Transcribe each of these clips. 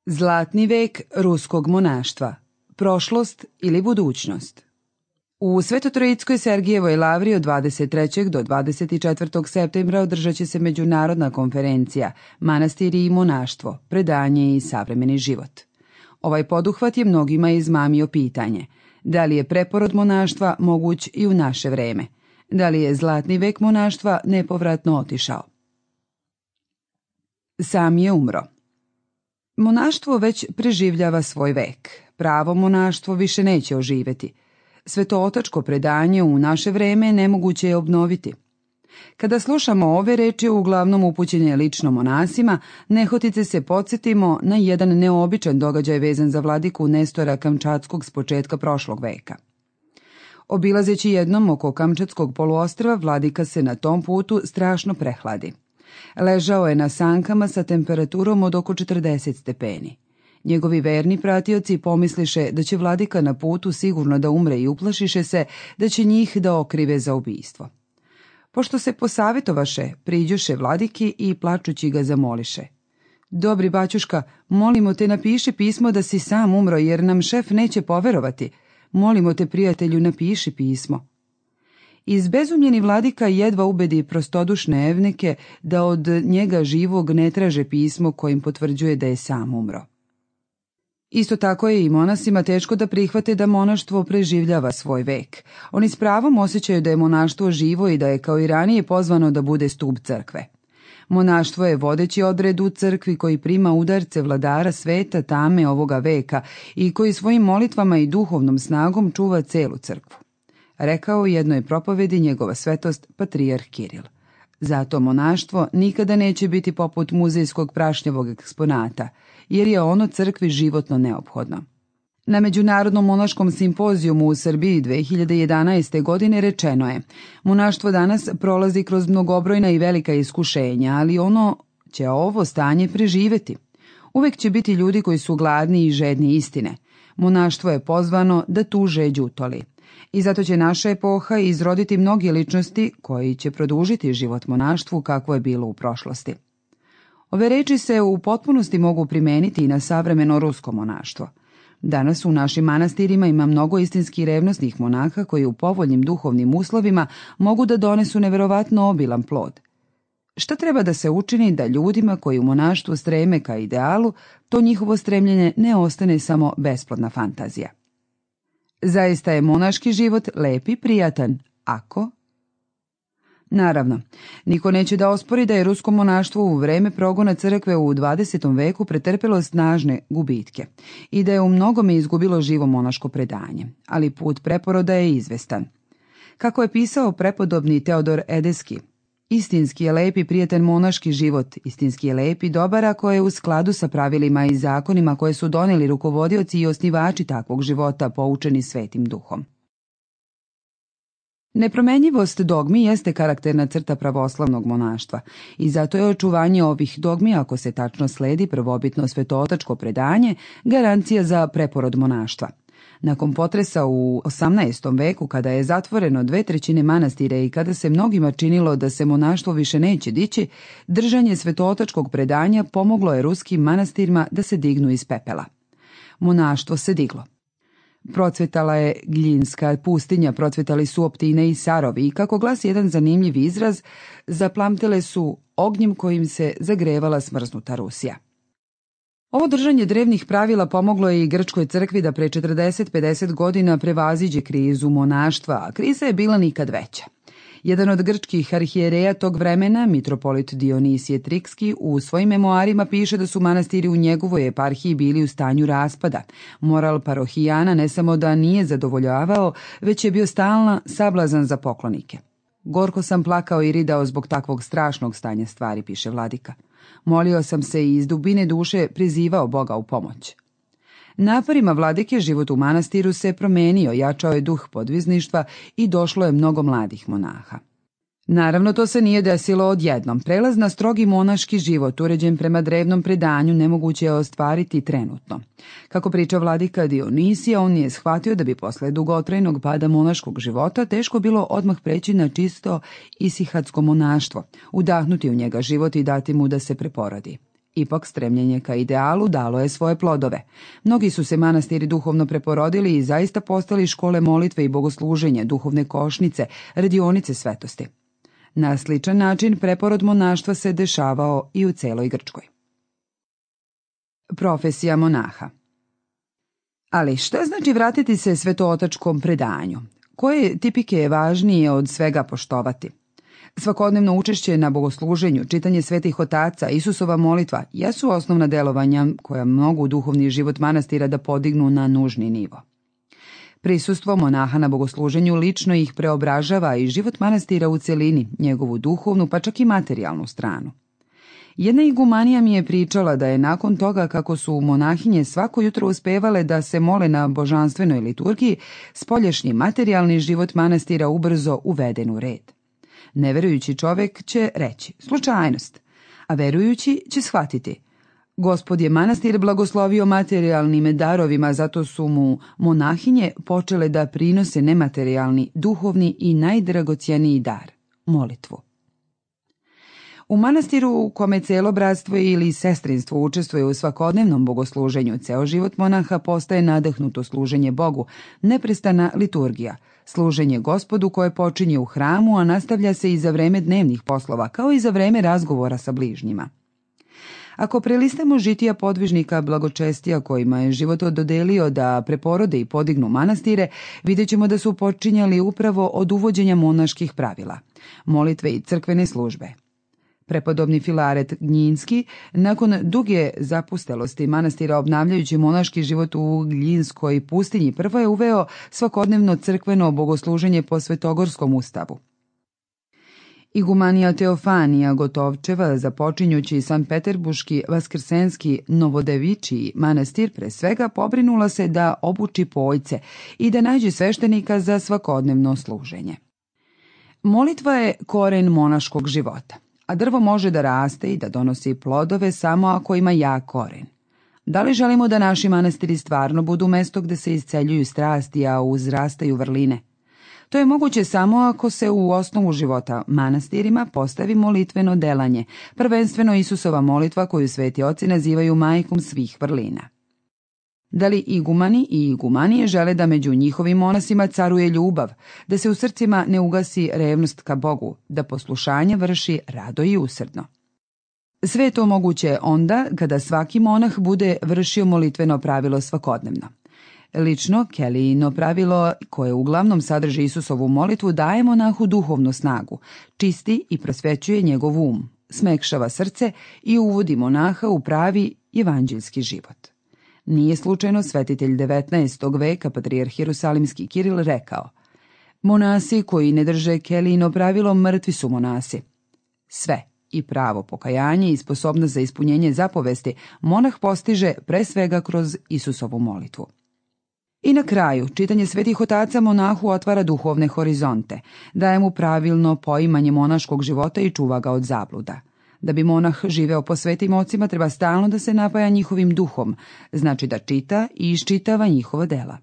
Zlatni vek ruskog monaštva. Prošlost ili budućnost. U Svetotrojickoj Sergijevoj lavri od 23. do 24. septembra održat će se međunarodna konferencija Manastiri i monaštvo, predanje i savremeni život. Ovaj poduhvat je mnogima izmamio pitanje: da li je preporod monaštva moguć i u naše vreme? Da li je zlatni vek monaštva nepovratno otišao? Sam je umro. Monaštvo već preživljava svoj vek. Pravo monaštvo više neće oživeti. Svetootačko predanje u naše vreme nemoguće je obnoviti. Kada slušamo ove reči, uglavnom upućene lično monasima, nehotice se podsjetimo na jedan neobičan događaj vezan za vladiku Nestora Kamčatskog s početka prošlog veka. Obilazeći jednom oko Kamčatskog poluostrva, vladika se na tom putu strašno prehladi. Ležao je na sankama sa temperaturom od oko 40 stepeni. Njegovi verni pratioci pomisliše da će vladika na putu sigurno da umre i uplašiše se da će njih da okrive za ubistvo. Pošto se posavjetovaše, priđoše vladiki i plačući ga zamoliše: "Dobri baćuška, molimo te, napiši pismo da si sam umro, jer nam šef neće poverovati. Molimo te, prijatelju, napiši pismo." Izbezumljeni vladika jedva ubedi prostodušne evnike da od njega živog ne traže pismo kojim potvrđuje da je sam umro. Isto tako je i monasima teško da prihvate da monaštvo preživljava svoj vek. Oni s pravom osjećaju da je monaštvo živo i da je kao i ranije pozvano da bude stub crkve. Monaštvo je vodeći odred u crkvi koji prima udarce vladara sveta tame ovoga veka i koji svojim molitvama i duhovnom snagom čuva celu crkvu. Rekao u jednoj propovedi njegova svetost patrijarh Kiril. Zato monaštvo nikada neće biti poput muzejskog prašnjavog eksponata, jer je ono crkvi životno neophodno. Na Međunarodnom monaškom simpozijumu u Srbiji 2011. godine rečeno je: monaštvo danas prolazi kroz mnogobrojna i velika iskušenja, ali ono će ovo stanje preživeti. Uvek će biti ljudi koji su gladni i žedni istine. Monaštvo je pozvano da tu žeđ utoli. I zato će naša epoha izroditi mnoge ličnosti koji će produžiti život monaštvu kakvo je bilo u prošlosti. Ove reči se u potpunosti mogu primeniti i na savremeno rusko monaštvo. Danas u našim manastirima ima mnogo istinski revnosnih monaha koji u povoljnim duhovnim uslovima mogu da donesu neverovatno obilan plod. Šta treba da se učini da ljudima koji u monaštvu streme ka idealu, to njihovo stremljenje ne ostane samo besplodna fantazija? Zaista je monaški život lep i prijatan, ako... Naravno, niko neće da ospori da je rusko monaštvo u vreme progona crkve u 20. veku pretrpelo snažne gubitke i da je u mnogome izgubilo živo monaško predanje, ali put preporoda je izvestan. Kako je pisao prepodobni Teodor Edeski: istinski je lep i prijatan monaški život, istinski je lep i dobar ako je u skladu sa pravilima i zakonima koje su doneli rukovodioci i osnivači takvog života poučeni Svetim Duhom. Nepromenjivost dogmi jeste karakterna crta pravoslavnog monaštva i zato je očuvanje ovih dogmi, ako se tačno sledi prvobitno svetootačko predanje, garancija za preporod monaštva. Nakon potresa u 18. veku, kada je zatvoreno 2/3 manastira i kada se mnogima činilo da se monaštvo više neće dići, držanje svetootačkog predanja pomoglo je ruskim manastirima da se dignu iz pepela. Monaštvo se diglo. Procvetala je Gljinska pustinja, procvetali su Optine i Sarovi i, kako glasi jedan zanimljiv izraz, zaplamtele su ognjem kojim se zagrevala smrznuta Rusija. Ovo držanje drevnih pravila pomoglo je i grčkoj crkvi da pre 40-50 godina prevaziđe krizu monaštva, a kriza je bila nikad veća. Jedan od grčkih arhijereja tog vremena, mitropolit Dionisije Trikski, u svojim memoarima piše da su manastiri u njegovoj eparhiji bili u stanju raspada. Moral parohijana ne samo da nije zadovoljavao, već je bio stalna sablazan za poklonike. Gorko sam plakao i ridao zbog takvog strašnog stanja stvari, piše vladika. Molio sam se i iz dubine duše prizivao Boga u pomoć. Naporima vladike život u manastiru se promenio, jačao je duh podvizništva i došlo je mnogo mladih monaha. Naravno, to se nije desilo odjednom. Prelaz na strogi monaški život, uređen prema drevnom predanju, nemoguće je ostvariti trenutno. Kako priča vladika Dionisija, on je shvatio da bi posle dugotrajnog pada monaškog života teško bilo odmah preći na čisto isihadsko monaštvo, udahnuti u njega život i dati mu da se preporodi. Ipak stremljenje ka idealu dalo je svoje plodove. Mnogi su se manastiri duhovno preporodili i zaista postali škole molitve i bogosluženja, duhovne košnice, radionice svetosti. Na sličan način preporod monaštva se dešavao i u celoj Grčkoj. Profesija monaha. Ali šta znači vratiti se svetootačkom predanju? Koje tipike je važnije od svega poštovati? Svakodnevno učešće na bogosluženju, čitanje svetih otaca, Isusova molitva jesu osnovna delovanja koja mogu duhovni život manastira da podignu na nužni nivo. Prisustvo monaha na bogosluženju lično ih preobražava i život manastira u celini, njegovu duhovnu pa čak i materijalnu stranu. Jedna igumanija mi je pričala da je nakon toga kako su monahinje svako jutro uspevale da se mole na božanstvenoj liturgiji, spoljašnji materijalni život manastira ubrzo uveden u red. Neverujući čovjek će reći slučajnost, a verujući će shvatiti Gospod je manastir blagoslovio materijalnim darovima, zato su mu monahinje počele da prinose nematerijalni, duhovni i najdragocjeniji dar, molitvu. U manastiru u kome celo bratstvo ili sestrinstvo učestvuje u svakodnevnom bogosluženju, ceo život monaha postaje nadahnuto služenje Bogu, neprestana liturgija, služenje Gospodu koje počinje u hramu, a nastavlja se i za vreme dnevnih poslova, kao i za vreme razgovora sa bližnjima. Ako prelistamo žitija podvižnika blagočestija kojima je život dodelio da preporode i podignu manastire, vidjet ćemo da su počinjali upravo od uvođenja monaških pravila, molitve i crkvene službe. Prepodobni Filaret Gnjinski, nakon duge zapustelosti manastira obnavljajući monaški život u Gljinskoj pustinji, prvo je uveo svakodnevno crkveno bogosluženje po svetogorskom ustavu. Igumanija Teofanija Gotovčeva, započinjući Sanpeterburški Vaskrsenski Novodevičiji manastir, pre svega pobrinula se da obuči pojce i da nađe sveštenika za svakodnevno služenje. Molitva je koren monaškog života, a drvo može da raste i da donosi plodove samo ako ima jak koren. Da li želimo da naši manastiri stvarno budu mesto gde se isceljuju strasti, a uzrastaju vrline? To je moguće samo ako se u osnovu života manastirima postavi molitveno delanje, prvenstveno Isusova molitva koju sveti oci nazivaju majkom svih vrlina. Da li igumani i igumanije žele da među njihovim monasima caruje ljubav, da se u srcima ne ugasi revnost ka Bogu, da poslušanje vrši rado i usrdno? Sve je to moguće onda kada svaki monah bude vršio molitveno pravilo svakodnevno. Lično, Kelijino pravilo, koje uglavnom sadrži Isusovu molitvu, daje monahu duhovnu snagu, čisti i prosvećuje njegov um, smekšava srce i uvodi monaha u pravi evanđeljski život. Nije slučajno svetitelj 19. veka, patrijarh Jerusalimski Kiril, rekao: monasi koji ne drže Kelijino pravilo mrtvi su monasi. Sve, i pravo pokajanje i sposobnost za ispunjenje zapovesti, monah postiže pre svega kroz Isusovu molitvu. I na kraju, čitanje svetih otaca monahu otvara duhovne horizonte, daje mu pravilno poimanje monaškog života i čuva ga od zabluda. Da bi monah živeo po svetim ocima, treba stalno da se napaja njihovim duhom, znači da čita i iščitava njihova dela.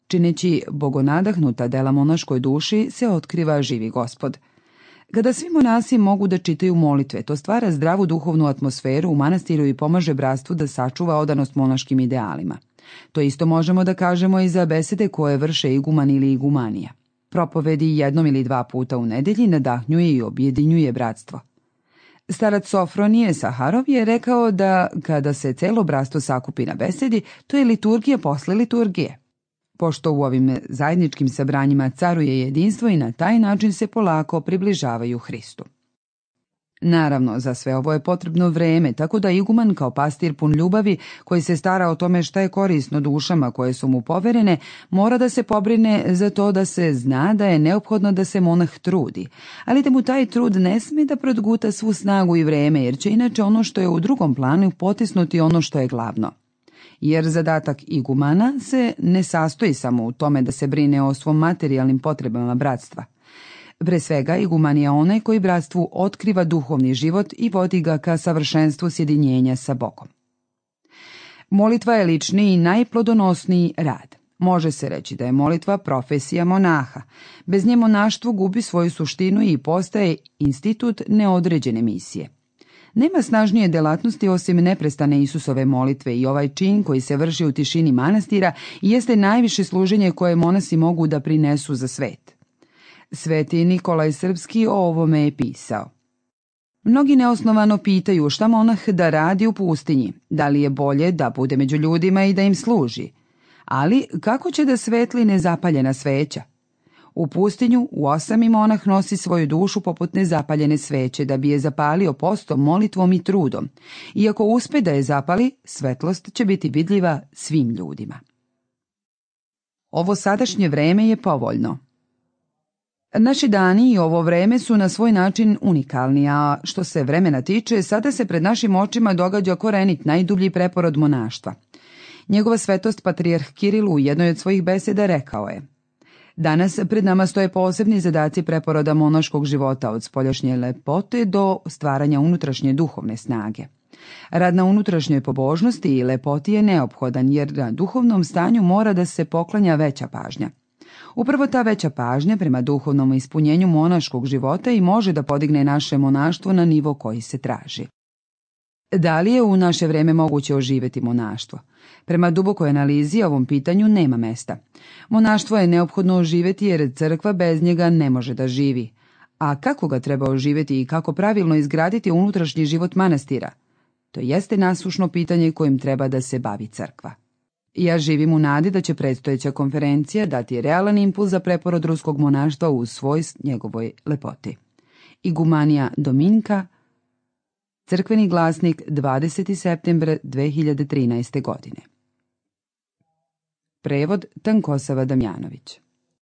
Čineći bogonadahnuta dela monaškoj duši se otkriva živi Gospod. Kada svi monasi mogu da čitaju molitve, to stvara zdravu duhovnu atmosferu u manastiru i pomaže bratstvu da sačuva odanost monaškim idealima. To isto možemo da kažemo i za besede koje vrše iguman ili igumanija. Propovedi jednom ili dva puta u nedelji nadahnjuje i objedinjuje bratstvo. Starac Sofronije Saharov je rekao da kada se celo bratstvo sakupi na besedi, to je liturgija posle liturgije. Pošto u ovim zajedničkim sabranjima caruje jedinstvo i na taj način se polako približavaju Hristu. Naravno, za sve ovo je potrebno vreme, tako da iguman kao pastir pun ljubavi, koji se stara o tome šta je korisno dušama koje su mu poverene, mora da se pobrine za to da se zna da je neophodno da se monah trudi, ali da mu taj trud ne sme da produguta svu snagu i vreme, jer će inače ono što je u drugom planu potisnuti ono što je glavno. Jer zadatak igumana se ne sastoji samo u tome da se brine o svom materijalnim potrebama bratstva. Pre svega, iguman je onaj koji bratstvu otkriva duhovni život i vodi ga ka savršenstvu sjedinjenja sa Bogom. Molitva je lični i najplodonosniji rad. Može se reći da je molitva profesija monaha. Bez nje monaštvo gubi svoju suštinu i postaje institut neodređene misije. Nema snažnije delatnosti osim neprestane Isusove molitve i ovaj čin koji se vrši u tišini manastira jeste najviše služenje koje monasi mogu da prinesu za svet. Sveti Nikolaj Srpski o ovome je pisao. Mnogi neosnovano pitaju šta monah da radi u pustinji, da li je bolje da bude među ljudima i da im služi. Ali kako će da svetli nezapaljena sveća? U pustinju u osami monah nosi svoju dušu poput nezapaljene sveće da bi je zapalio postom, molitvom i trudom. I ako uspe da je zapali, svetlost će biti vidljiva svim ljudima. Ovo sadašnje vreme je povoljno. Naši dani i ovo vreme su na svoj način unikalni, a što se vremena tiče, sada se pred našim očima događa korenit najdublji preporod monaštva. Njegova svetost patrijarh Kiril u jednoj od svojih beseda rekao je: danas pred nama stoje posebni zadaci preporoda monaškog života od spoljašnje lepote do stvaranja unutrašnje duhovne snage. Rad na unutrašnjoj pobožnosti i lepoti je neophodan jer na duhovnom stanju mora da se poklanja veća pažnja. Upravo ta veća pažnja prema duhovnom ispunjenju monaškog života i može da podigne naše monaštvo na nivo koji se traži. Da li je u naše vreme moguće oživjeti monaštvo? Prema dubokoj analizi ovom pitanju nema mesta. Monaštvo je neophodno oživjeti jer crkva bez njega ne može da živi. A kako ga treba oživjeti i kako pravilno izgraditi unutrašnji život manastira? To jeste nasušno pitanje kojim treba da se bavi crkva. Ja živim u nadi da će predstojeća konferencija dati realan impuls za preporod ruskog monaštva u svoj njegovoj lepoti. Igumanija Dominka, Crkveni glasnik, 20. septembar 2013. godine. Prevod Tankosava Damjanović.